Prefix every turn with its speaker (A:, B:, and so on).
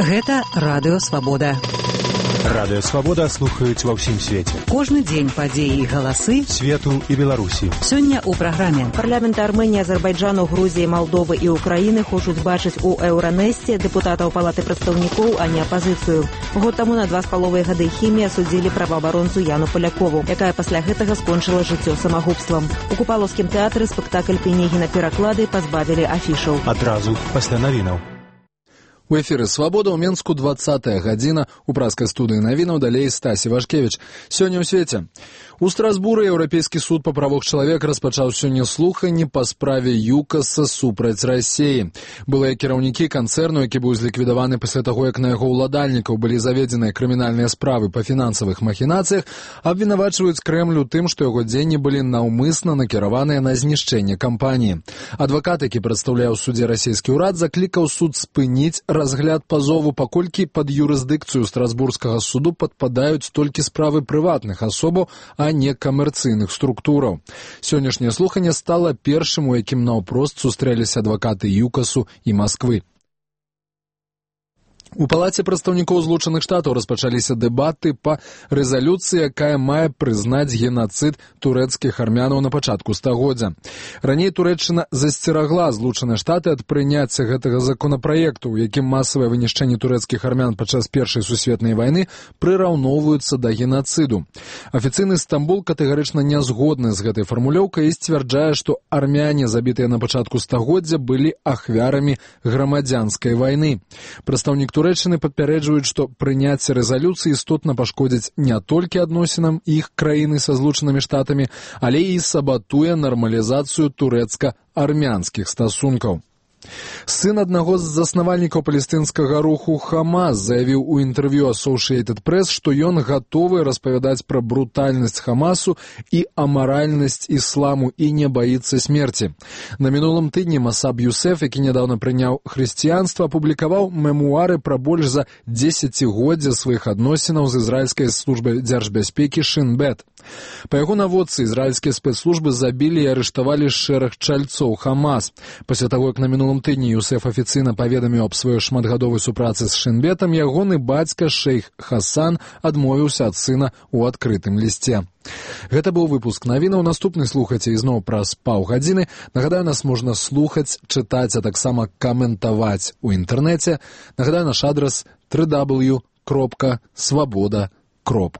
A: Гэта Радыё Свабода.
B: Радыё Свабода слухаюць ва ўсім свеце.
A: Кожны дзень падзеі і галасы
B: свету і Беларусі.
A: Сёння ў праграме.
C: Парламенты Арменіі, Азербайджану, Грузіі, Малдовы і Украіны хочуць бачыць у Еўранэсце дэпутатаў Палаты прадстаўнікоў, а не апазіцыю. Год таму на 2,5 гады хімія судзілі праваабаронцу Яну Полякову, якая пасля гэтага скончыла жыццё самагубствам. У Купалаўскім тэатры спектакль Пенегіна пераклады пазбавілі афішаў.
B: Адразу пасля навінаў.
D: У эфіры «Свабода» ў Менску 20-я гадзіна. У праскай студыі навінаў далей Стасі Вашкевіч. Сёння ў свеце. У Страсбуры Еўрапейскі суд па правах чалавека распачаў сёння слуханні па справе ЮКАСа супраць Расіі. Былыя кіраўнікі канцэрну, які быў зліквідаваны пасля таго, як на яго ўладальнікаў былі заведзеныя крымінальныя справы па фінансавых махінацыях, абвінавачваюць Крэмль у тым, што яго дзеянні былі наўмысна накіраваныя на знішчэнне кампаніі. Адвакат, які прадстаўляў у судзе расійскі ўрад, заклікаў суд спыніць разгляд пазову, паколькі пад юрысдыкцыю Страсбургскага суду падпадаюць толькі справы прыватных асобаў, а не камерцыйных структураў. Сённяшняе слуханне стала першым, у якім наўпрост сустрэліся адвакаты ЮКАСу і Масквы. У Палаце прадстаўнікоў Злучаных Штатаў распачаліся дэбаты па рэзалюцыі, якая мае прызнаць генацыд турэцкіх армянаў на пачатку стагоддзя. Раней Турэччына засцерагла Злучаныя Штаты ад прыняцця гэтага законапраекту, у якім масавае вынішчэнне турэцкіх армян падчас Першай сусветнай вайны прыраўноўваюцца да генацыду. Афіцыйны Стамбул катэгарычна не згодны з гэтай фармулёўкай і сцвярджае, што армяне, забітыя на пачатку стагоддзя, былі ахвярамі грамадзянскай вайны. Прадстаўнік Турэччыны папярэджваюць, што прыняцце рэзалюцыі істотна пашкодзіць не толькі адносінам іх краіны са Злучанымі Штатамі, але і сабатуе нармалізацыю турэцка-армянскіх стасункаў. Сын аднаго з заснавальнікаў палестынскага руху Хамас заявіў у інтэрв'ю Associated Press, што ён гатовы распавядаць пра брутальнасць Хамасу і амаральнасць ісламу і не баіцца смерці. На мінулым тыдні Масаб Юсеф, які нядаўна прыняў хрысціянства, апублікаваў мемуары пра больш за 10годдзя сваіх адносінаў з ізраільскай службай дзяржбяспекі Шин Бет. Па яго наводцы ізраільскія спецслужбы забілі і арыштавалі шэраг чальцоў Хамас. Пасля таго, як на мінулым тыдні Юсеф афіцыйна паведаміў аб сваёй шматгадовай супрацы з Шинбетам, ягоны бацька шэйх Хасан адмовіўся ад сына ў адкрытым лісце. Гэта быў выпуск навінаў. Наступны слухайце ізноў праз паўгадзіны. Нагадаю, нас можна слухаць, чытаць, а таксама каментаваць у інтэрнэце. Нагадаю, наш адрас www.swaboda.org.